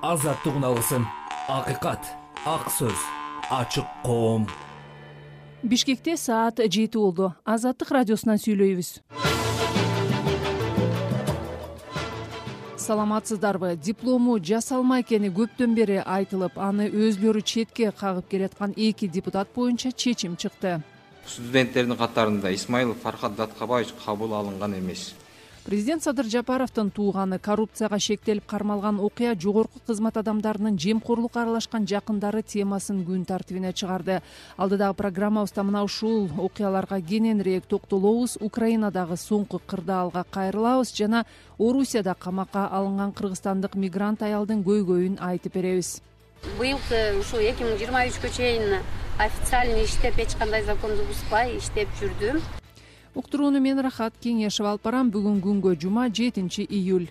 азаттык үналысын, акыйкат, ак сөз, ачык коом. Бишкекте саат 7 болду. Азаттык радиосунан сүйлөйбүз. Саламатсыздарбы? Диплому жасалма экени көптөн бери айтылып, аны өзлөрү четке кагып келаткан 2 депутат боюнча чечим чыкты. Студенттердин катарында Исмаилов Фархат Даткабаевич кабыл алынган эмес. Президент Садыр Жапаровдун тууганы карупцияга шектелип кармалган окуя жогорку кызмат адамдарынын жемкорлукка аралашкан жакындары темасын күн тартибине чыгарды. Алдыдагы программабызда мына ушул окуяларга кененирээк токтолобуз. Украинадагы соңку кырдаалга кайрылабыз жана Орусияда камакка алынган кыргызстандык мигрант аялдын көйгөйүн айтып беребиз. Быйылкы ушул 2023 чейин официально иштеп, эч кандай законду бузбай иштеп жүрдүм. Уктурууну мен Рахат Кеңешев алып барам. Бүгүн күнгө жума 7 июль.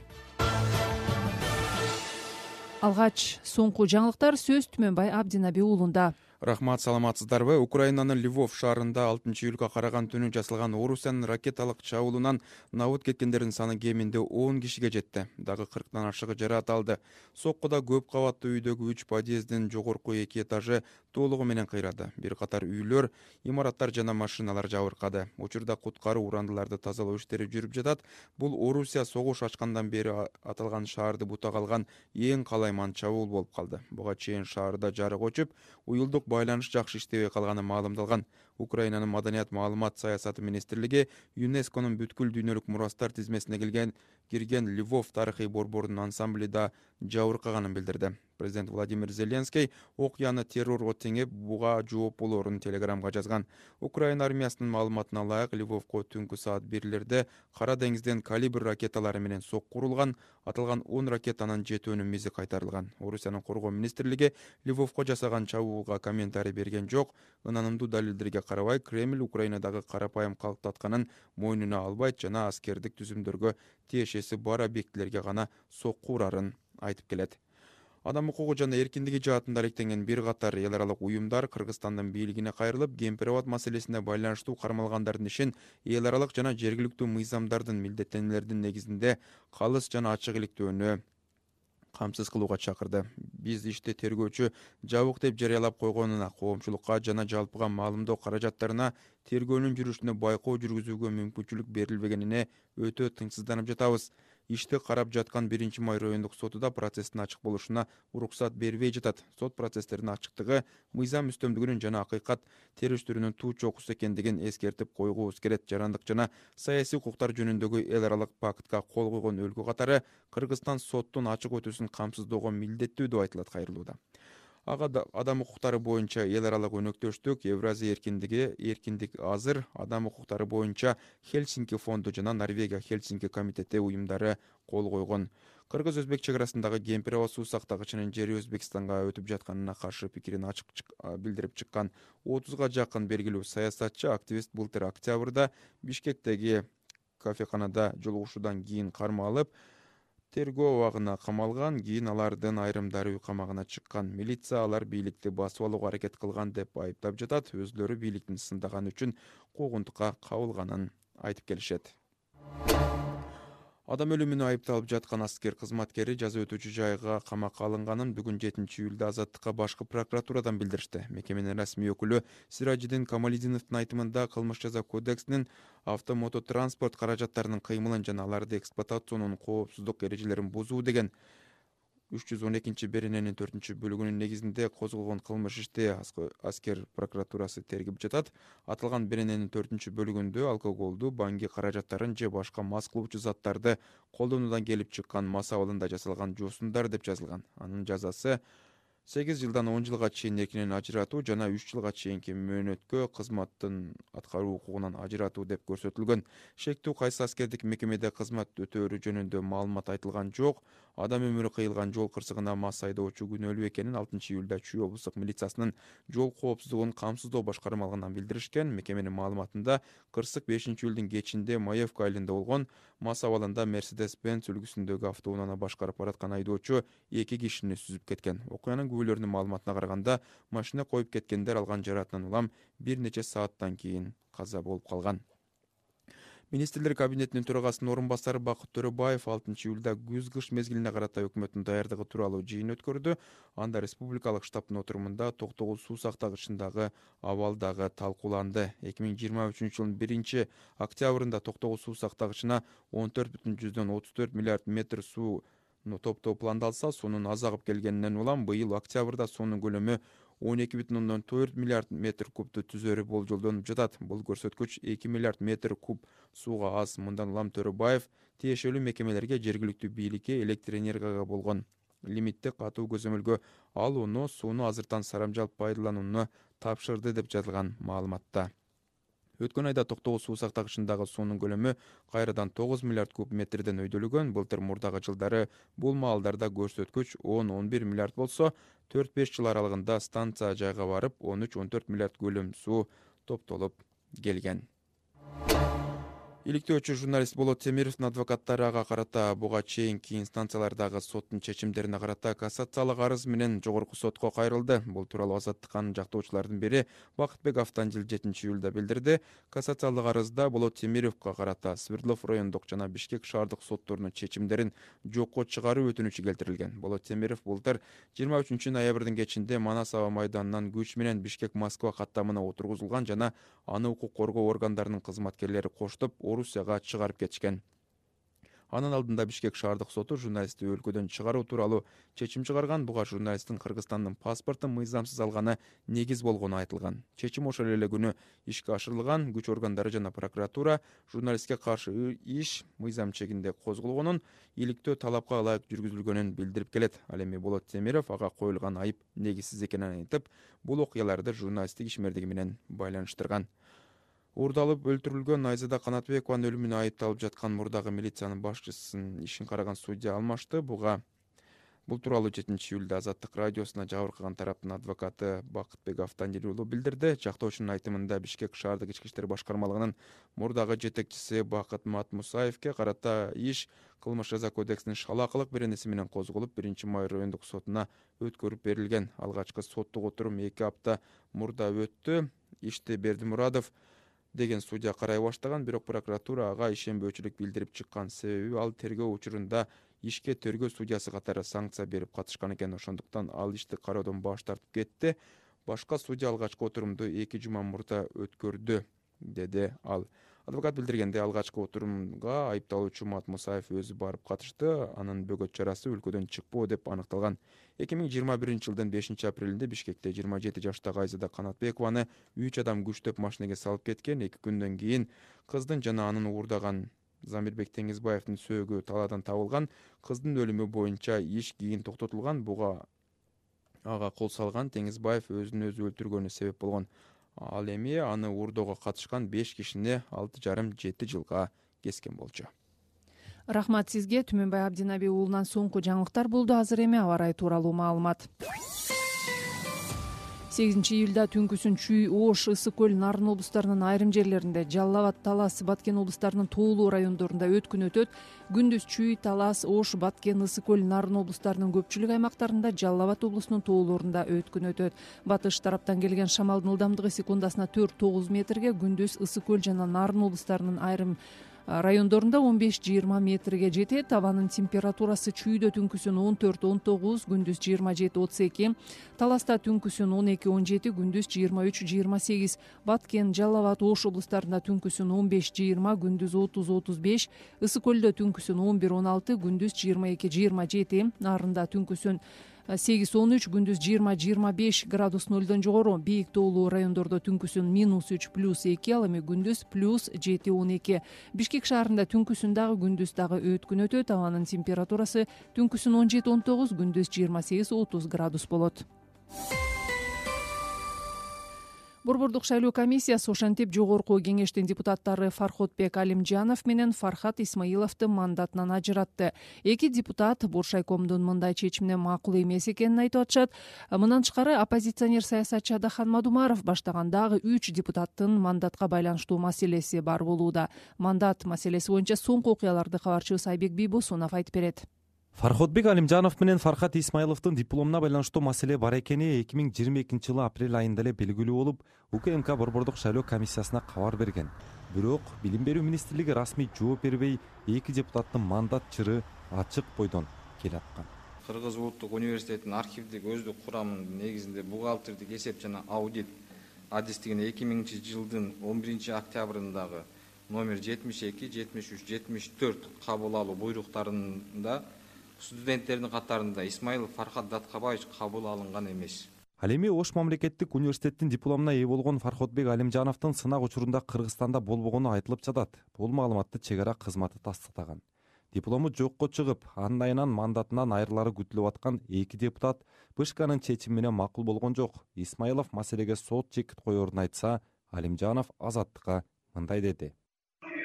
Алгач соңку жаңылыктар сөз Түмөнбай Абдинаби уулунда. Рахмат, саламатсыздарбы? Украинанын Львов шаарында 6-июлга караган түнү жасалган Орусиянын ракеталык чабуулунан набыт кеткендердин саны кеминде 10 кишиге жетти. Дагы 40тан ашыгы жараат алды. Соккуда көп кабаттуу үйдөгү 3 подъездин жогорку 2 этажы толугу менен кыйрады. Бир катар үйлөр, имараттар жана машиналар жабыркады. Учурда куткаруу урандыларды тазалоо иштери жүрүп жатат. Бул Орусия согуш ачкандан бери аталган шаарды бутага алган эң калайман чабуул болуп калды. Буга чейин шаарда жарык өчүп, уюлдук байланыш жакшы иштебей калганы маалымдалган. Украинанын маданият маалымат саясаты министрлиги ЮНЕСКОнун бүткүл дүйнөлүк мурастар тизмесине кирген Львов тарыхый борборунун ансамбли да жабыркаганын билдирди. Президент Владимир Зеленский окуяны террорго теңеп, буга жооп болоорун телеграмга жазган. Украина армиясынын маалыматына ылайык, Львовко түнкү саат 1-лерде Кара деңизден калибр ракеталары менен сокку урулган. Аталган 10 ракетанын 7-өнүн мизи кайтарылган. Орусиянын коргоо министрлиги Львовко жасаган чабуулга комментарий берген жок. Ынанымдуу далилдерге карабай, Кремль Украинадагы карапайым калктатканын мойнуна албайт жана аскердик түзүмдөргө тиешеси бар объектилерге гана сокку урарын айтып келет. Адам укугу жана эркиндиги жаатында алектенген бир катар эл аралык уюмдар Кыргызстандын бийлигине кайрылып, кемпир-абад маселесине байланыштуу кармалгандардын ишин эл аралык жана жергиликтүү мыйзамдардын милдеттенмелердин негизинде калыс жана ачык иликтөөнү камсыз кылууга чакырды. Биз ишти тергөөчү жабык деп жарыялап койгонуна, коомчулукка жана жалпыга маалымдоо каражаттарына тергөөнүн жүрүшүнө байкоо жүргүзүүгө мүмкүнчүлүк берилбегенине өтө тынчсызданып жатабыз. Ишти карап жаткан 1-май райондук соту да процесстин ачык болушуна уруксат бербей жатат. Сот процесстердин ачыктыгы, мыйзам үстөмдүгүнүн жана акыйкат териштирүүнүн туу чокусу экендигин эскертип койгубуз келет. Жарандык жана саясий укуктар жөнүндөгү эл аралык пактка кол койгон өлкө катары Кыргызстан соттун ачык өтүүсүн камсыздоого милдеттүү деп айтылат кайрылууда. Адам укуктары боюнча эл аралык өнөктөштүк, Евразия эркиндик азыр, адам укуктары боюнча Хельсинки фонду жана Норвегия Хельсинки комитети уюмдары кол койгон. Кыргыз-өзбек чек арасындагы кемпир-абад суу сактагычынын жери Өзбекстанга өтүп жатканына каршы пикирин ачык билдирип чыккан 30га жакын белгилүү саясатчы, активист былтыр октябрда Бишкектеги кафеканада жолугушуудан кийин карма алып, тергөө абагына камалган. Кийин алардын айрымдары үй камагына чыккан. Милиция алар бийликти басып алууга аракет кылган деп айыптап жатат. Өзлөрү бийликтин сындаганы үчүн куугунтукка кабылганын айтып келишет. Адам өлүмүнө айыпталып жаткан аскер кызматкери жаза өтүүчү жайга камакка алынганын бүгүн 7-июлда Азаттыкка башкы прокуратурадан билдиришти. Мекеменин расмий өкүлү Сиражидин Камалидиновдун айтымында кылмыш жаза кодексинин автомототранспорт каражаттарынын кыймылын жана аларды эксплуатационунун коопсуздук эрежелерин бузуу деген 312-берененин 4-бөлүгүнүн негизинде козголгон кылмыш ишти аскер прокуратурасы тергеп жатат. Аталган берененин 4-бөлүгүндө алкоголду, баңги каражаттарын же башка мас кылуучу заттарды колдонуудан келип чыккан мас абалында жасалган жосундар деп жазылган. Анын жазасы 8 жылдан 10 жылга чейин эркинен ажыратуу жана 3 жылга чейинки мөөнөткө кызматтын аткаруу укугунан ажыратуу деп көрсөтүлгөн. Шектүү кайсы аскердик мекемеде кызмат өтөөрү жөнүндө маалымат айтылган жок. Адам өмүрү кыйылган жол кырсыгына мас айдоочу күнөөлүү экенин 6-июлда Чүй облустук милициясынын жол коопсуздугун камсыздоо башкармалыгынан билдиришкен. Мекеменин маалыматында кырсык 5-июлдун кечинде Маевка айылында болгон. Мас абалында Mercedes-Benz үлгүсүндөгү автоунааны башкарып бараткан айдоочу 2 кишини сүзүп кеткен. Окуянын күбөлөрүнүн маалыматына караганда, машина коюп кеткендер алган жараатынан улам бир нече сааттан кийин каза болуп калган. Министрлер кабинетинин төрагасынын орун басары Бакыт Төрөбаев 6-июлда күз-кыш мезгилине карата өкмөттүн даярдыгы тууралуу жыйын өткөрдү. Анда республикалык штабтын отурумунда Токтогул суу сактагычындагы абал дагы талкууланды. 2023 жылдын 1-октябрында Токтогул суу сактагычына 14,34 миллиард метр суу топтоо пландалса, суунун аз агып келгенинен улам быйыл октябрда суунун көлөмү 12,4 миллиард метр кубту түзөрү болжолдонуп жатат. Бул көрсөткүч 2 миллиард метр куб сууга аз. Мындан улам Төрөбаев тиешелүү мекемелерге, жергиликтүү бийликке электр энергияга болгон лимитти катуу көзөмөлгө алууну, сууну азыртан сарамжалп пайдаланууну тапшырды деп жазылган маалыматта. Өткөн айда Токтогул суу сактагычындагы суунун көлөмү кайрадан 9 миллиард куб метрден өйдөлгөн. Былтыр мурдагы жылдары бул маалдарда көрсөткүч 10-11 миллиард болсо, 4-5 жыл аралыгында станция жайга барып 13-14 миллиард көлөм суу топтолуп келген. Иликтөөчү журналист Болот Темировдун адвокаттары ага карата буга чейинки инстанциялардагы соттун чечимдерине карата кассациялык арыз менен жогорку сотко кайрылды. Бул тууралуу Азаттыктын жактоочулардын бири Бакытбек Автандил 7-июлда билдирди. Кассациялык арызда Болот Темировго карата Свердлов райондук жана Бишкек шаардык сотторунун чечимдерин жокко чыгаруу өтүнүчү келтирилген. Болот Темиров былтыр 23-ноябрдын кечинде Манас аба майданынан күч менен Бишкек-Москва каттамына отургузулган жана аны укук коргоо органдарынын кызматкерлери коштоп Орусияга чыгарып кетишкен. Анын алдында Бишкек шаардык соту журналистти өлкөдөн чыгаруу тууралуу чечим чыгарган. Буга журналисттин Кыргызстандын паспортун мыйзамсыз алганы негиз болгону айтылган. Чечим ошол эле күнү ишке ашырылган. Күч органдары жана прокуратура журналистке каршы иш мыйзам чегинде козголгонун, иликтөө талапка ылайык жүргүзүлгөнүн билдирип келет. Ал эми Болот Темиров ага коюлган айып негизсиз экенин айтып, бул окуяларды журналисттик ишмердиги менен байланыштырган. Уурдалып өлтүрүлгөн Айзада Канатбекованын өлүмүнө айыпталып жаткан мурдагы милициянын башчысынын ишин караган судья алмашты. Бул тууралуу 7-июлда Азаттык радиосуна жабыр кылган тараптын адвокаты Бакытбек Автандил уулу билдирди. Жактоочунун айтымында Бишкек шаардык ички иштер башкармалыгынын мурдагы жетекчиси Бакыт Матмусаевке карата иш Кылмыш жаза кодексинин шалаакылык беренеси менен козголуп, 1-май райондук сотуна өткөрүп берилген. Алгачкы соттук отурум 2 апта мурда өттү. Ишти Бердимурадов деген судья карай баштаган, бирок прокуратура ага ишенбөөчүлүк билдирип чыккан. Себеби ал тергөө учурунда ишке тергөө судьясы катары санкция берип катышкан экен. Ошондуктан ал ишти кароодон баш тартып кетти. Башка судья алгачкы отурумду 2 жума мурда өткөрдү, деди ал. Адвокат билдиргенде, алгачкы отурумга айыпталуучу Матмусаев өзү барып катышты. Анын бөгөт чарасы өлкөдөн чыкпоо деп аныкталган. 2021 жылдын 5-апрелинде Бишкекте 27 жаштагы Айзада Канатбекованы 3 адам күчтөп машинеге салып кеткен. 2 күндөн кийин кыздын жана анын уурдаган Замирбек Теңизбаевдин сөөгү талаадан табылган. Кыздын өлүмү боюнча иш кийин токтотулган. Буга ага кол салган Теңизбаев өзүн өзү өлтүргөнү себеп болгон. Ал эми аны уурдоого катышкан 5 кишини 6,5-7 жылга кескен болчу. Рахмат сизге. Түмөнбай Абдинаби уулунан соңку жаңылыктар болду. Азыр эми аба ырайы тууралуу маалымат. 8-июлда түнкүсүн Чүй, Ош, Ысык көл, Нарын облустарынын айрым жерлеринде, Жалал Абад, Талас, Баткен облустарынын тоолуу райондорунда өткүн өтөт. Күндүз Чүй, Талас, Ош, Баткен, Ысык көл, Нарын облустарынын көпчүлүк аймактарында, Жалал Абад облусунун тоолорунда өткүн өтөт. Батыш тараптан келген шамалдын ылдамдыгы секундасына 4-9 метрге, күндүз Ысык көл жана Нарын облустарынын айрым райондорунда 15-20 метрге жетет. Абанын температурасы Чүйдө түнкүсүн 14-19, күндүз 27-32, Таласта түнкүсүн 12-17, күндүз 23-28, Баткен, Жалал Абад, Ош облустарында түнкүсүн 15-20, күндүз 30-35, Ысык көлдө түнкүсүн 11-16, күндүз 22-27, Нарында түнкүсүн 8-13, күндүз 20-25 градус нөлдөн жогору. Бийик тоолуу райондордо түнкүсүн -3 +2, ал эми күндүз +7-12. Бишкек шаарында түнкүсүн дагы күндүз дагы өткүн өтөт. Абанын температурасы түнкүсүн 17-19, күндүз 28-30 градус болот. Борбордук шайлоо комиссиясы ошентип жогорку кеңештин депутаттары Фарходбек Алимжанов менен Фархат Исмаиловду мандатынан ажыратты. Эки депутат Боршайкомдун мындай чечимине макул эмес экенин айтып атышат. Мындан тышкары оппозиционер саясатчы Адахан Мадумаров баштаган дагы 3 депутаттын мандатка байланыштуу маселеси бар болууда. Мандат маселеси боюнча соңку окуяларды кабарчыбыз Айбек Бийбосунов айтып берет. Фарходбек Алимжанов менен Фархат Исмаиловдун дипломуна байланыштуу маселе бар экени 2022 жылы апрель айында эле белгилүү болуп, УКМК Борбордук шайлоо комиссиясына кабар берген. бирок Билим берүү министрлиги расмий жооп бербей, эки депутаттын мандат чыры ачык бойдон келаткан. Кыргыз Улуттук университетинин архивдик өздүк курамынын негизинде бухгалтердик эсеп жана аудит адистигине 2000-жылдын 11-октябрындагы номер 72, 73, 74 кабыл алуу буйруктарында студенттердин катарында Исмаилов Фархат Даткабаевич кабыл алынган эмес. Ал эми Ош мамлекеттик университеттин дипломуна ээ болгон Фархотбек Алимжановдун сынак учурунда Кыргызстанда болбогону айтылып жатат. Бул маалыматты чек ара кызматы тастыктаган. Диплому жокко чыгып, анын айынан мандатынан айрылары күтүлүп аткан эки депутат БШКнын чечими менен макул болгон жок. Исмаилов маселеге сот чекит коерун айтса, Алимжанов Азаттыкка мындай деди.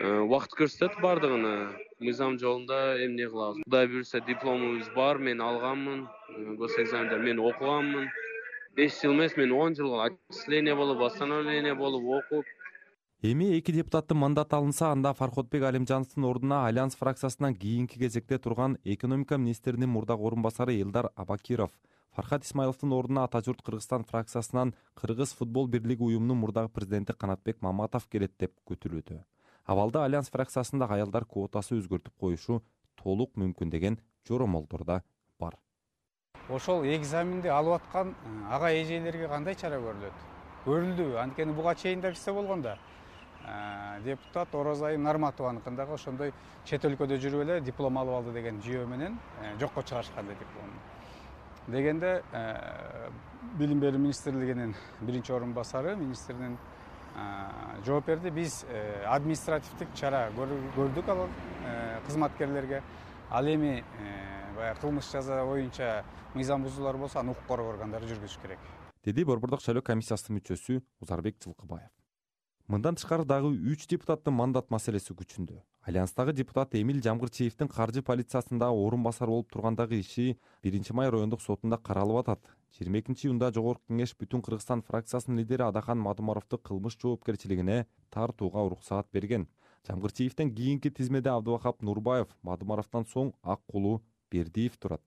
Убакыт көрсөтөт бардыгын. Мыйзам жолунда эмне кылабыз? Кудай буйрса дипломубуз бар, мен алганмын. Госэкзаменде мен окуганмын. 5 жыл эмес, мен 10 жыл отчисление болуп, восстановление болуп окуп. Эми эки депутаттын мандаты алынса, анда Фархотбек Алимжановдун ордуна Альянс фракциясынан кийинки кезекте турган экономика министринин мурдагы орун басары Элдар Абакиров, Фархат Исмаиловдун ордуна Ата журт Кыргызстан фракциясынан Кыргыз футбол бирлиги уюмунун мурдагы президенти Канатбек Маматов келет деп күтүлүүдө. Абалда Альянс фракциясындагы аялдар квотасы өзгөртүп коюшу толук мүмкүн деген жоромолдор да бар. Ошол экзаменди алып аткан ага эжелерге кандай чара көрүлөт? Көрүлдү. Анткени буга чейин да кирсе болгондо депутат Орозайым Нарматованыкын дагы ошондой чет өлкөдө жүрүп эле диплом алып алды деген жүйө менен жокко чыгарышкан дипломду. Дегенде Билим берүү министрлигинин биринчи орун басары министринин жооп берди. Биз административдик чара көрдүк ал кызматкерлерге. Ал эми кылмыш жаза боюнча мыйзам бузуулар болсо, аны укук коргоо органдары жүргүзүш керек, деди Борбордук шайлоо комиссиясынын мүчөсү Узарбек Жылкыбаев. Мындан тышкары дагы 3 депутаттын мандат маселеси күчүндө. Альянстагы депутат Эмил Жамгырчиевдин каржы полициясында орун басар болуп тургандагы иши 1-май райондук сотунда каралып атат. 22-июнда Жогорку кеңеш Бүтүн Кыргызстан фракциясынын лидери Адахан Мадумаровду кылмыш жоопкерчилигине тартууга уруксаат берген. Жамгырчиевден кийинки тизмеде Абдывахап Нурбаев, Мадумаровдон соң Аккулу Бердиев турат.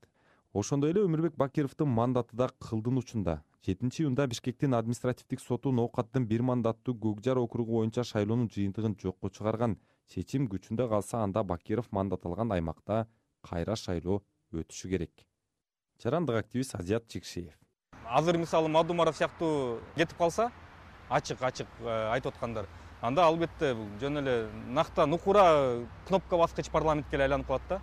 Ошондой эле Өмүрбек Бакировдун мандаты да кылдын учунда. 7-июнда Бишкектин административдик соту ноокаттын бир мандаттуу Көкжар округу боюнча шайлоонун жыйынтыгын жокко чыгарган. Чечим күчүндө калса, анда Бакиров мандат алган аймакта кайра шайлоо өтүшү керек. Жарандык активист Азият Чикшиев. Азыр мисалы Мадумаров сыяктуу кетип калса, ачык айтып аткандар, анда албетте бул жөн эле нактан укура кнопка баскыч парламентке айланып калат да.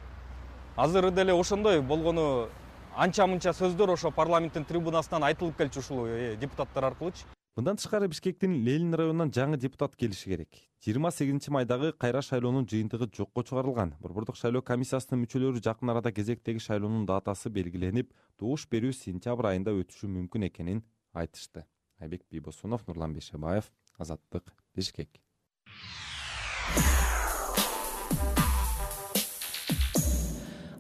Азыр деле ошондой болгону анча-мынча сөздөр ошо парламенттин трибунасынан айтылып келчү ушул депутаттар аркылуучу. Мындан тышкары Бишкектин Ленин районунан жаңы депутат келиши керек. 28-майдагы кайра шайлоонун жыйынтыгы жокко чыгарылган. Борбордук шайлоо комиссиясынын мүчөлөрү жакын арада кезектеги шайлоонун датасы белгиленип, добуш берүү сентябрь айында өтүшү мүмкүн экенин айтышты. Айбек Бийбосунов, Нурлан Бейшебаев, Азаттык, Бишкек.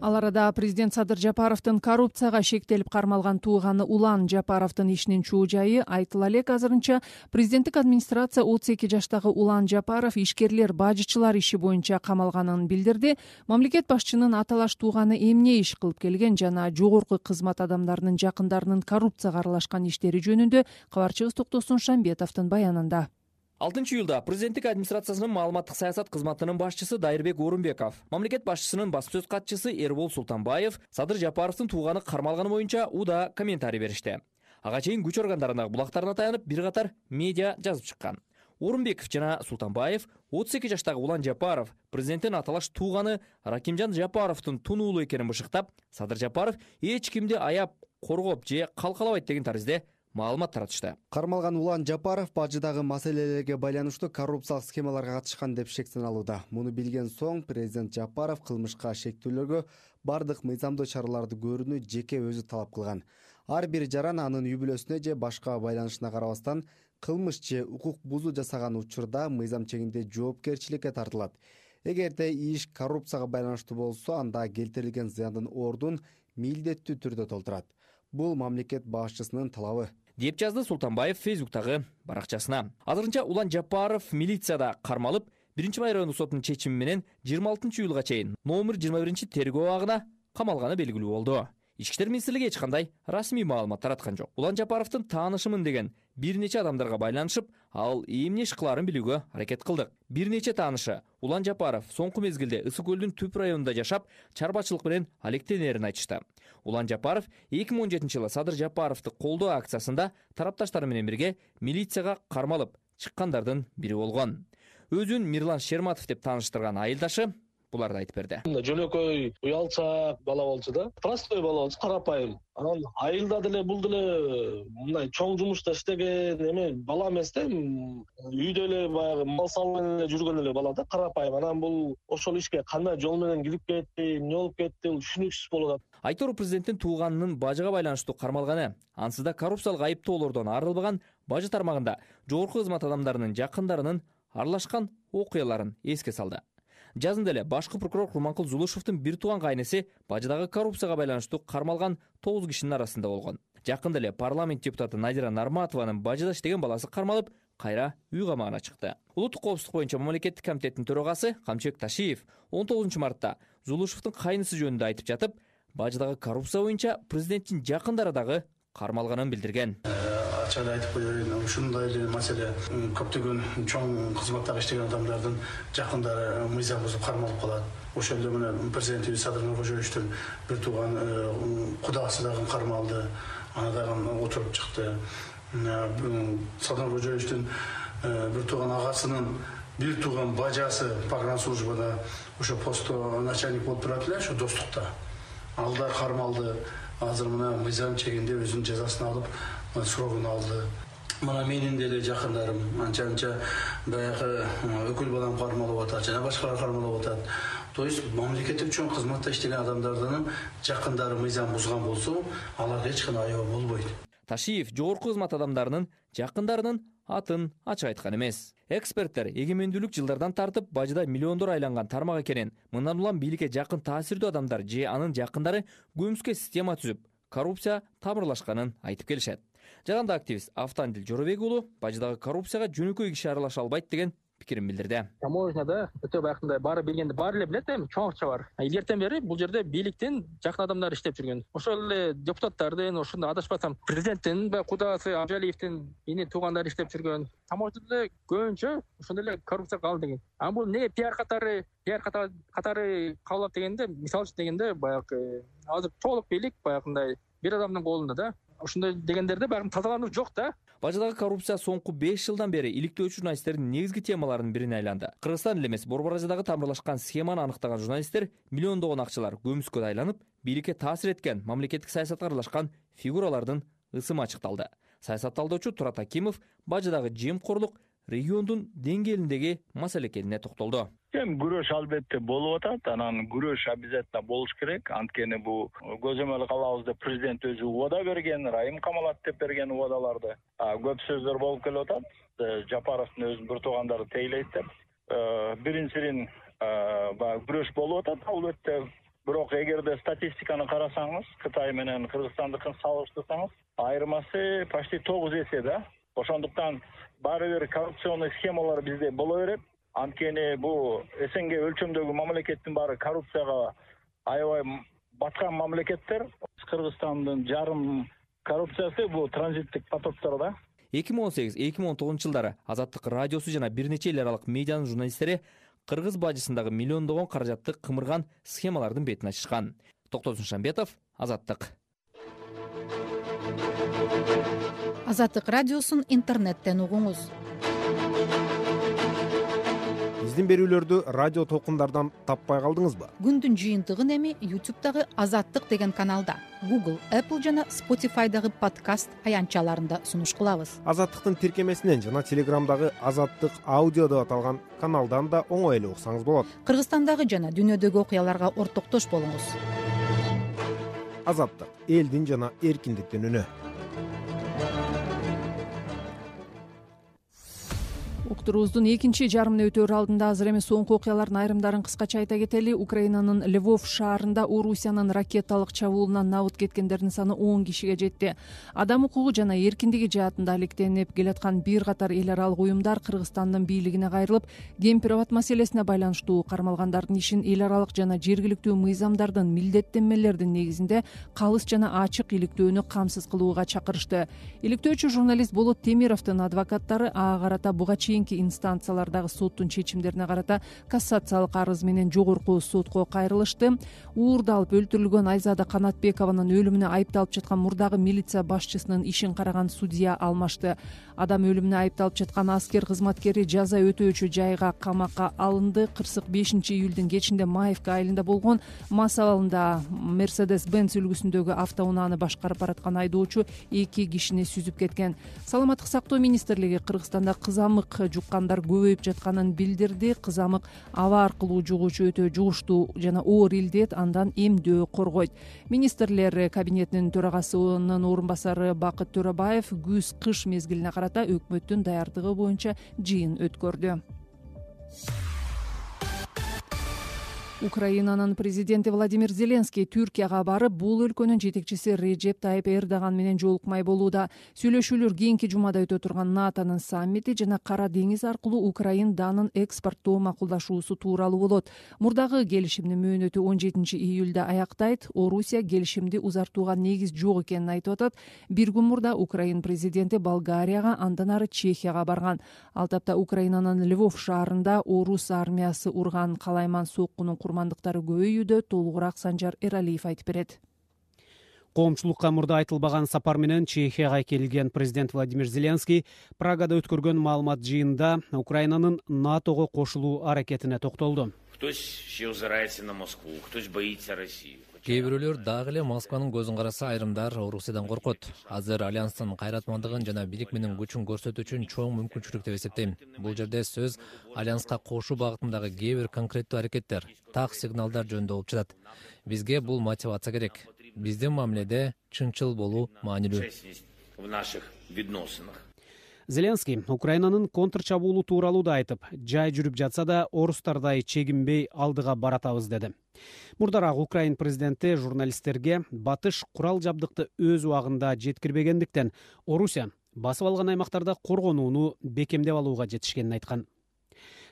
Ал арада президент Садыр Жапаровдун коррупцияга шектелип кармалган тууганы Улан Жапаровдун ишинин чуу жайы айтыла элек. Азырынча президенттик администрация 32 жаштагы Улан Жапаров ишкерлер, бажычылар иши боюнча камалганын билдирди. Мамлекет башчынын аталаш тууганы эмне иш кылып келген жана жогорку кызмат адамдарынын жакындарынын коррупцияга аралашкан иштери жөнүндө кабарчыбыз Токтосун Шамбетовдун баянында. 6-июлда президенттик администрациясынын маалыматтык саясат кызматынын башчысы Дайырбек Орунбеков, мамлекет башчысынын баспсөз катчысы Эрбол Султанбаев Садыр Жапаровдун тууганы кармалганы боюнча уда комментарий беришти. Ага чейин күч органдарынын булактарына таянып бир катар медиа жазып чыккан. Орунбеков жана Султанбаев 32 жаштагы Улан Жапаров президенттин аталаш тууганы Ракимжан Жапаровдун тунуулу экенин бышыктап, Садыр Жапаров эч кимди аяп, коргоп же калкалабайт деген таризде маалымат таратышты. Кармалган Улан Жапаров бажыдагы маселелерге байланыштуу коррупциялык схемаларга катышкан деп шектеналууда. Муну билген соң президент Жапаров кылмышка шектүүлөргө бардык мыйзамдуу чараларды көрүүнү жеке өзү талап кылган. Ар бир жаран анын үй бүлөсүнө же башка байланышына карабастан кылмыш же укук бузуу жасаган учурда мыйзам чегинде жоопкерчиликке тартылат. Эгерде иш коррупцияга байланыштуу болсо, анда келтирилген зыяндын ордун милдеттүү түрдө толтурат. Бул мамлекет башчысынын талабы, деп жазды Султанбаев Фейсбуктагы баракчасына. Азырынча Улан Жапаров милицияда кармалып, 1-май райондук сотунун чечими менен 26-июлга чейин номер 21 тергөө абагына камалганы белгилүү болду. Ички иштер министрлиги эч кандай расмий маалымат тараткан жок. Улан Жапаровдун таанышымын деген бир нече адамдарга байланышып, ал эмне иш кылаарын билүүгө аракет кылдык. Бир нече таанышы Улан Жапаров соңку мезгилде Ысык көлдүн түп районунда жашап, чарбачылык менен алектенерин айтышты. Улан Жапаров 2017-жылы Садыр Жапаровду колдоо акциясында тарапташтары менен бирге милицияга кармалып чыккандардын бири болгон. Өзүн Мирлан Шерматов деп тааныштырган айылдашы буларды айтып берди. Жөнөкөй уялчаак бала болчу да, простой бала болчу, карапайым. Анан айылда деле бул деле мындай чоң жумушта иштеген эме бала эмес да, үйдө эле баягы мал салып жүргөн эле бала да, карапайым. Анан бул ошол ишке кандай жол менен кирип кетти, эмне болуп кетти, бул түшүнүксүз болуп атат. Айтор президенттин тууганынын бажыга байланыштуу кармалганы, ансыз да коррупциялык айыптоолордон арылбаган бажы тармагында жогорку кызмат адамдарынын жакындарынын аралашкан окуяларын эске салды. Жазында эле башкы прокурор Курманкул Зулушевдун бир тууган кайнеси бажыдагы коррупцияга байланыштуу кармалган 9 кишинин арасында болгон. Жакында эле парламент депутаты Надира Нарматованын бажыда иштеген баласы кармалып, кайра үй камагына чыкты. Улуттук коопсуздук боюнча мамлекеттик комитеттин төрагасы Камчыбек Ташиев 19 мартта Зулушевдун кайнысы жөнүндө айтып жатып, бажыдагы коррупция боюнча президенттин жакындары дагы кармалганын билдирген. Ачык айтып коеюн, ушундай эле маселе көптөгөн чоң кызматтагы иштеген адамдардын жакындары мыйзам бузуп кармалып калат. Ошол эле менен президентибиз Садыр Нуркожоевичтин бир тууган кудасы дагы кармалды, аны дагы отуруп чыкты. Садыр Нуркожоевичтин бир тууган агасынын бир тууган бажасы погранслужбада ошо постто начальник болуп турат эле, ошо достукта. Ал да кармалды. Азыр мына мыйзам чегинде өзүнүн жазасын алып, срогун алды. Мына менин деле жакындарым анча баягы өкүл балам кармалып атат, жана башкалар кармалып атат. То есть мамлекеттик чоң кызматта иштеген адамдардын жакындары мыйзам бузган болсо, аларга эч кандай аябы болбойт. Ташиев жогорку кызмат адамдарынын жакындарынын атын ачык айткан эмес. Эксперттер эгемендүүлүк жылдардан тартып бажыда миллиондор айланган тармак экенин, мындан улам бийликке жакын таасирдүү адамдар же анын жакындары көмүскө система түзүп, коррупция тамырлашканын айтып келишет. Жаранды активист Автандил Жоробек уулу бажыдагы коррупцияга жөнөкөй киши аралаша албайт деген пикирин билдирди. Таможняда өтө баягындай баары билгенди, баары эле билет, эми чоң акча бар. Илгертен бери бул жерде бийликтин жакын адамдары иштеп жүргөн. Ошол эле депутаттардын, ошондой адашпасам президенттин баягы кудасы Абжалиевдин ини туугандары иштеп жүргөн. Таможняда көбүнчө ошондой эле коррупция калды деген. Аны бул эмнеге пиар катары кабыл алат дегенде, мисалы үчүн дегенде баягы азыр толук бийлик баягындай бир адамдын колунда да. Ошондой дегендерде баягы тазалануу жок да. Бажыдагы коррупция соңку 5 жылдан бери иликтөөчү журналисттердин негизги темаларынын бирине айланды. Кыргызстан эле эмес, Борбор Азиядагы тамырлашкан схеманы аныктаган журналисттер миллиондогон акчалар көмүскө айланып, бийликке таасир эткен, мамлекеттик саясатка аралашкан фигуралардын ысымы ачыкталды. Саясат талдоочу Турат Акимов бажыдагы жемкорлук региондун деңгээлиндеги маселе экенине токтолду. Күрөш албетте болуп атат, анан күрөш обязательно болуш керек. Анткени бул көзөмөл кылабыз деп президент өзү убада берген, Райым Камалат деп берген убадаларды көп сөздөр болуп келип атат. Жапаровдун өзүнүн бир туугандары тейлейт деп. Биринчиден күрөш болуп атат албетте. Бирок эгерде статистиканы карасаңыз, Кытай менен Кыргызстандыкын салыштырсаңыз, айырмасы почти 9 эсе да. Ошондуктан баары бир коррупционный схемалар бизде боло берет. Анткени бул СНГ өлчөмдөгү мамлекеттин баары коррупцияга аябай баткан мамлекеттер. Кыргызстандын жарым коррупциясы бул транзиттик потоктор да. 2018-2019 жылдары Азаттык радиосу жана бир нече эл аралык медианын журналисттери кыргыз бажысындагы миллиондогон каражатты кымырган схемалардын бетин ачышкан. Токтосун Шамбетов, Азаттык. Азаттык радиосун интернеттен угуңуз. Биздин берүүлөрдү радио толкундардан таппай калдыңызбы? Күндүн жыйынтыгын эми YouTube'дагы Азаттык деген каналда, Google, Apple жана Spotify'дагы подкаст аянтчаларында сунуш кылабыз. Азаттыктын тиркемесинен жана Telegram'дагы Азаттык аудио деп аталган каналдан да оңой эле уксаңыз болот. Кыргызстандагы жана дүйнөдөгү окуяларга ортоктош болуңуз. Азаттык — элдин жана эркиндиктин үнү. уктуруубуздун экинчи жарымына өтөөр алдында азыр эми соңку окуялардын айрымдарын кыскача айта кетели. Украинанын Львов шаарында Орусиянын ракеталык чабуулунан набыт кеткендердин саны 10 кишиге жетти. Адам укугу жана эркиндиги жаатында алектенип келаткан бир катар эл аралык уюмдар Кыргызстандын бийлигине кайрылып, Кемпир-Абад маселесине байланыштуу кармалгандардын ишин эл аралык жана жергиликтүү мыйзамдардын милдеттенмелердин негизинде калыс жана ачык иликтөөнү камсыз кылууга чакырышты. Иликтөөчү журналист Болот Темировдун адвокаттары ага карата буга чейинки инстанциялардагы соттун чечимдерине карата кассациялык арыз менен жогорку сотко кайрылышты. Уурдалып өлтүрүлгөн Айзада Канатбекованын өлүмүнө айыпталып жаткан мурдагы милиция башчысынын ишин караган судья алмашты. Адам өлүмүнө айыпталып жаткан аскер кызматкери жаза өтөөчү жайга камакка алынды. Кырсык 5-июлдун кечинде Маевка айылында болгон мас абалында Mercedes-Benz үлгүсүндөгү автоунааны башкарып бараткан айдоочу 2 кишини сүзүп кеткен. Саламаттык сактоо министрлиги Кыргызстанда кызамык жуккандар көбөйүп жатканын билдирди. Кызамык аба аркылуу жугуучу өтө жугуштуу жана оор илдет, андан эмдөө коргойт. Министрлер кабинетинин төрагасынын орун басары Бакыт Төрөбаев күз-кыш мезгилине карата өкмөттүн даярдыгы боюнча жыйын өткөрдү. Украинанын президенти Владимир Зеленский Түркияга барып, бул өлкөнүн жетекчиси Режеп Тайып Эрдоган менен жолукмай болууда. Сүйлөшүүлөр кийинки жумада өтө турган НАТОнун саммити жана Кара деңиз аркылуу Украин данын экспорттоо макулдашуусу тууралуу болот. Мурдагы келишимдин мөөнөтү 17-июлда аяктайт. Орусия келишимди узартууга негиз жок экенин айтып атат. Бир күн мурда Украин президенти Болгарияга, андан ары Чехияга барган. Ал тапта Украинанын Львов шаарында орус армиясы урган калайман соккунун курмандыктары көбөйүүдө. Толугураак Санжар Эралиев айтып берет. Коомчулукка мурда айтылбаган сапар менен Чехияга келген президент Владимир Зеленский Прагада өткөргөн маалымат жыйынында Украинанын НАТОго кошулуу аракетине токтолду. Кээ бирөөлөр дагы эле Москванын көзүн караса, айрымдар Орусиядан коркот. Азыр альянстын кайратмандыгын жана бийлик менен күчүн көрсөтүү үчүн чоң мүмкүнчүлүк деп эсептейм. Бул жерде сөз альянска кошуу багытындагы кээ бир конкреттүү аракеттер, так сигналдар жөнүндө болуп жатат. Бизге бул мотивация керек. Биздин мамиледе чынчыл болуу маанилүү. Зеленский Украинанын контрчабуулу тууралуу да айтып, жай жүрүп жатса да орустардай чегинбей алдыга баратабыз деди. Мурдараак Украин президенти журналисттерге батыш курал жабдыкты өз убагында жеткирбегендиктен Орусия басып алган аймактарда коргонууну бекемдеп алууга жетишкенин айткан.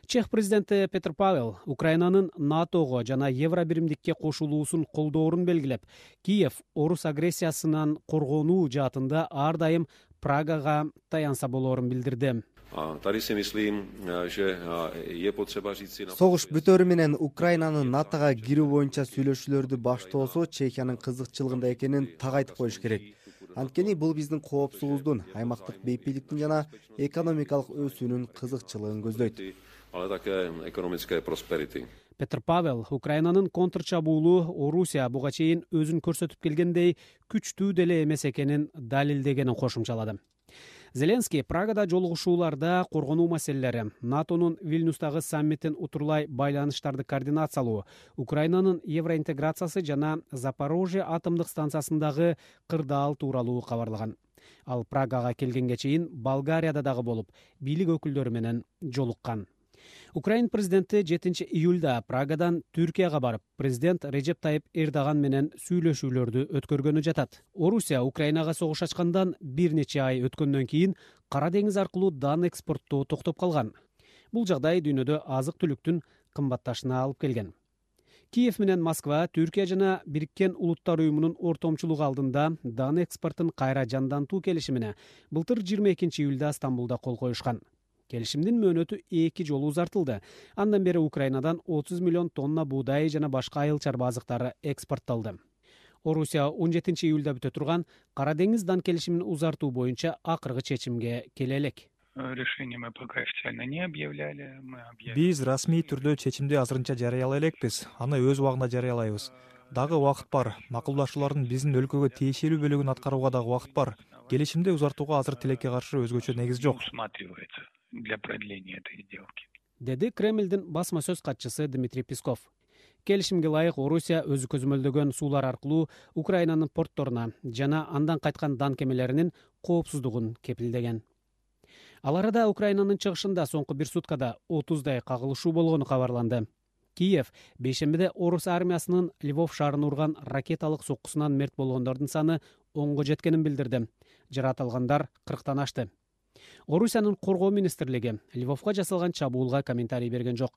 Чех президенти Петр Павел Украинанын НАТОго жана Евробиримдикке кошулуусун колдоорун белгилеп, Киев орус агрессиясынан коргонуу жаатында ар дайым Прагага таянса болоорун билдирди. Согуш бүтөөрү менен Украинанын НАТОга кирүү боюнча сүйлөшүүлөрдү баштоосу Чехиянын кызыкчылыгында экенин так айтып коюш керек. Анткени бул биздин коопсуздуктун, аймактык бейпиликтин жана экономикалык өсүүнүн кызыкчылыгын көздөйт. Петр Павел Украинанын контрчабуулу Орусия буга чейин өзүн көрсөтүп келгендей күчтүү деле эмес экенин далилдегенин кошумчалады. Зеленский Прагада жолугушууларда коргонуу маселелери, НАТОнун Вильнюстагы саммитин утурлай байланыштарды координациялоо, Украинанын евроинтеграциясы жана Запорожье атомдук станциясындагы кырдаал тууралуу кабарлаган. Ал Прагага келгенге чейин Болгарияда дагы болуп, бийлик өкүлдөрү менен жолуккан. Украин президенти 7-июлда Прагадан Түркияга барып, президент Режеп Тайып Эрдоган менен сүйлөшүүлөрдү өткөргөнү жатат. Орусия Украинага согуш ачкандан бир нече ай өткөндөн кийин Кара деңиз аркылуу дан экспорттоо токтоп калган. Бул жагдай дүйнөдө азык-түлүктүн кымбатташына алып келген. Киев менен Москва Түркия жана Бириккен Улуттар уюмунун ортомчулугу алдында дан экспортун кайра жандантуу келишимине былтыр 22-июлда Стамбулда кол коюшкан. Келишимдин мөөнөтү 2 жолу узартылды. Андан бери Украинадан 30 миллион тонна буудай жана башка айыл чарба азыктары экспортталды. Орусия 17-июлда бүтө турган Кара деңиз дан келишимин узартуу боюнча акыркы чечимге келе элек. Биз расмий түрдө чечимди азырынча жарыялай элекпиз. Аны өз убагында жарыялайбыз. Дагы убакыт бар. Макулдашуулардын биздин өлкөгө тиешелүү бөлүгүн аткарууга дагы убакыт бар. Келишимди узартууга азыр тилекке каршы өзгөчө негиз жок. Деди Кремлдин басма сөз катчысы Дмитрий Песков. Келишимге ылайык Орусия өзү көзөмөлдөгөн суулар аркылуу Украинанын портторуна жана андан кайткан дан кемелеринин коопсуздугун кепилдеген. Ал арада Украинанын чыгышында соңку бир суткада 30дай кагылышуу болгону кабарланды. Киев бейшембиде орус армиясынын Львов шаарын урган ракеталык соккусунан мерт болгондордун саны 10го жеткенин билдирди. Жаратылгандар 40тан ашты. Орусиянын коргоо министрлиги Львовго жасалган чабуулга комментарий берген жок.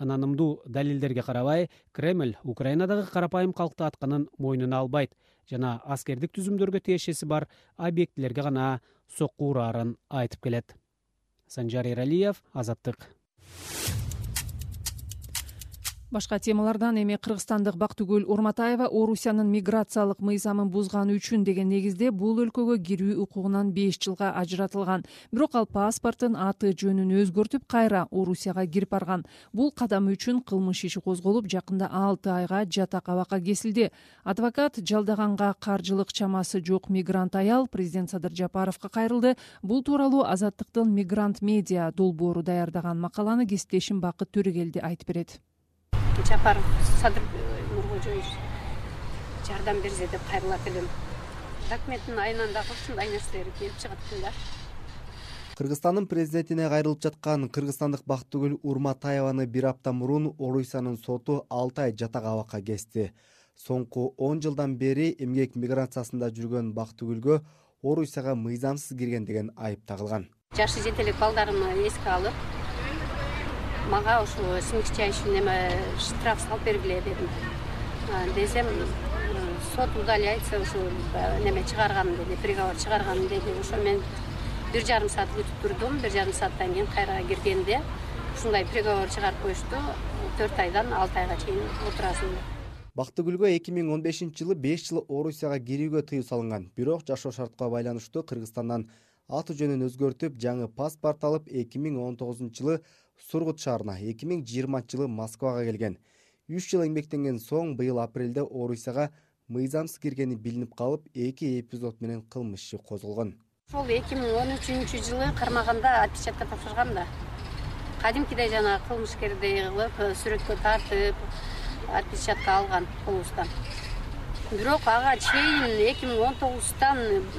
Ынанымдуу далилдерге карабай, Кремль Украинадагы карапайым калкты атканын мойнуна албайт жана аскердик түзүмдөргө тиешеси бар объектилерге гана сокку ураарын айтып келет. Санжар Эралиев, Азаттык. Башка темалардан эми кыргызстандык Бактыгүл Урматаева Орусиянын миграциялык мыйзамын бузганы үчүн деген негизде бул өлкөгө кирүү укугунан 5 жылга ажыратылган. Бирок ал паспорттун аты жөнүн өзгөртүп кайра Орусияга кирип барган. Бул кадам үчүн кылмыш иши козголуп, жакында 6 айга жатак абакка кесилди. Адвокат жалдаганга каржылык чамасы жок мигрант аял президент Садыр Жапаровго кайрылды. Бул тууралуу Азаттыктын Мигрант медиа долбоору даярдаган макаланы кесиптешим Бакыт Төрөгелди айтып берет. Жапаров Садыр Нуркожоевич жардам берсе деп кайрылат элем. Документтин айынан дагы ушундай нерселер келип чыгат экен да. Кыргызстандын президентине кайрылып жаткан кыргызстандык Бактыгүл Урматаеваны бир апта мурун Орусиянын соту 6 ай жатак абакка кести. Соңку 10 жылдан бери эмгек миграциясында жүргөн Бактыгүлгө Орусияга мыйзамсыз кирген деген айып тагылган. Жашы жетелик балдарымды эске алып, мага ушу смягчающий штраф салып бергиле дедим. Десем, сот удаляется, ушу чыгарган деди, приговор чыгарган деди. Ошо мен 1,5 саат күтүп турдум. 1,5 сааттан кийин кайра киргенде ушундай приговор чыгарып коюшту. 4 айдан 6 айга чейин отурасың. Бактыгүлгө 2015-жылы 5 жыл Орусияга кирүүгө тыюу салынган. Бирок жашоо шартка байланыштуу Кыргызстандан аты жөнүн өзгөртүп, жаңы паспорт алып 2019-жылы Сургут шаарына, 2020-жылы Москвага келген. 3 жыл эмгектенген соң быйыл апрелде Орусияга мыйзамсыз киргени билинип калып, 2 эпизод менен кылмыш иши козголгон. Ошол 2013-жылы кармаганда отпечатка тапшыргам да. Кадимкидей жана кылмышкердей кылып, сүрөткө тартып, отпечатка алган колубуздан. Бирок ага чейин 2019-тан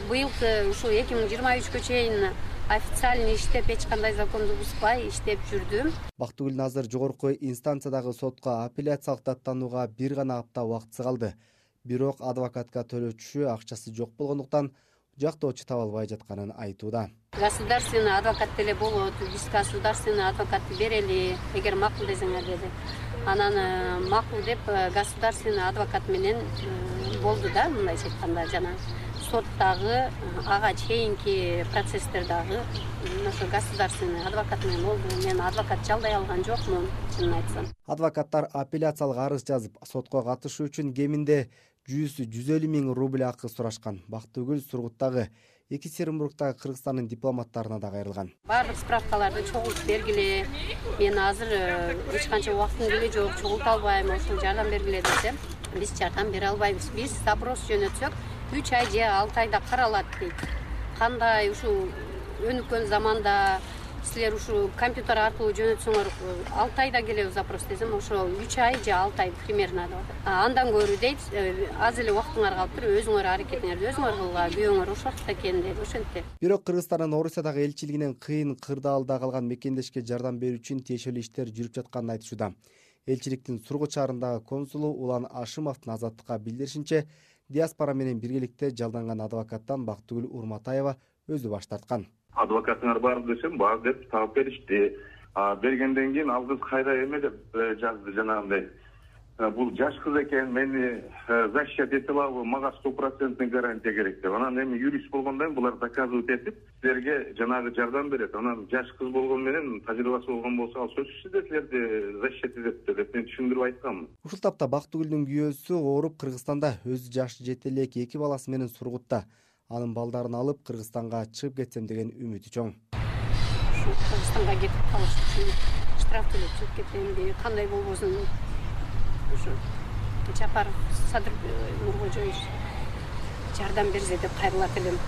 быйылкы ушу 2023-кө чейин официально иштеп, эч кандай законду бузбай иштеп жүрдүм. Бактыгүл азыр жогорку инстанциядагы сотко апелляциялык даттанууга бир гана апта убактысы калды. Бирок адвокатка төлөчү акчасы жок болгондуктан жактоочу таба албай жатканын айтууда. Государственный адвокат деле болот, биз государственный адвокатты берели, эгер макул десеңер деди. Анан макул деп государственный адвокат менен болду да, мындайча айтканда жана соттагы ага чейинки процесстердагы ошо государственный адвокат менен болду. Мен адвокат жалдай алган жокмун, чынын айтсам. Адвокаттар апелляциялык арыз жазып, сотко катышуу үчүн кеминде 100-150 миң рубль акы сурашкан. Бактыгүл Сургуттагы Екатеринбургдагы Кыргызстандын дипломаттарына да кайрылган. Баардык справкаларды чогултуп бергиле. Мен азыр эч канча убактым деле жок, чогулта албайм, ошо жардам бергиле десем, биз жардам бере албайбыз. Биз запрос жөнөтсөк 3 ай же 6 айда каралат дейт. Кандай ушу өнүккөн заманда силер ушу компьютер аркылуу жөнөтсөңөр 6 айда келебиз запрос десем, ошо 3 ай же 6 ай примерно деп атат. Андан көрүү дейт, аз эле убактыңар калыптыр, өзүңөр аракетиңерди өзүңөр кылгыла, күйөөңөр ошол жакта экен дейт, ошентип. Бирок Кыргызстандын Орусиядагы элчилигинен кыйын кырдаалда калган мекендешке жардам берүү үчүн тиешелүү иштер жүрүп жатканын айтышууда. Элчиликтин Сургут шаарындагы консулу Улан Ашымовдун Азаттыкка билдиришинче, диаспора менен биргеликте жалданган адвокаттан Бактыгүл Урматаева өзү баш тарткан. Адвокатыңар бар десем, бар деп таап беришти. Бергенден кийин ал кыз кайра эме деп жазды жанагындай. Бул жаш кыз экен, мени защищать эте алабы, мага 100% гарантия керек деп. Анан эми юрист болгондон булар доказывать этип, силерге жанагы жардам берет. Анан жаш кыз болгон менен тажрыйбасы болгон болсо, ал сөзсүз эле силерди защищать этет деп мен түшүндүрүп айтканмын. Ушул тапта Бактыгүлдүн күйөөсү ооруп Кыргызстанда, өзү жаш жетелек 2 баласы менен Сургутта. Анын балдарын алып Кыргызстанга чыгып кетсем деген үмүтү чоң. Кыргызстанга кетип калыш үчүн штраф төлөп чыгып кетем, кандай болбосун. Ушу Жапаров Садыр Нуркожоевич жардам берсе деп кайрылат элем.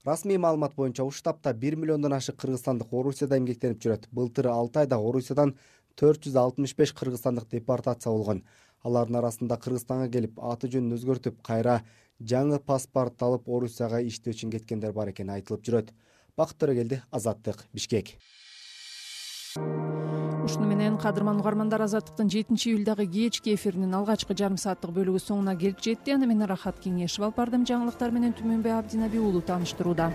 Расмий маалымат боюнча ушул таапта 1 миллиондон ашык кыргызстандык Орусияда эмгектенип жүрөт. Былтыр 6 айда Орусиядан 465 кыргызстандык депортация болгон. Алардын арасында Кыргызстанга келип, аты жөнүн өзгөртүп, кайра жаңы паспорт алып Орусияга иштөө үчүн кеткендер бар экени айтылып жүрөт. Бакыт Төрөгелди, Азаттык, Бишкек. Ушуну менен кадырман угармандар, Азаттыктын 7-июлдагы кечки эфиринин алгачкы жарым сааттык бөлүгү соңуна келип жетти. Аны мен Рахат Кеңешев алып бардым. Жаңылыктар менен Түмөнбай Абдинаби уулу тааныштырууда.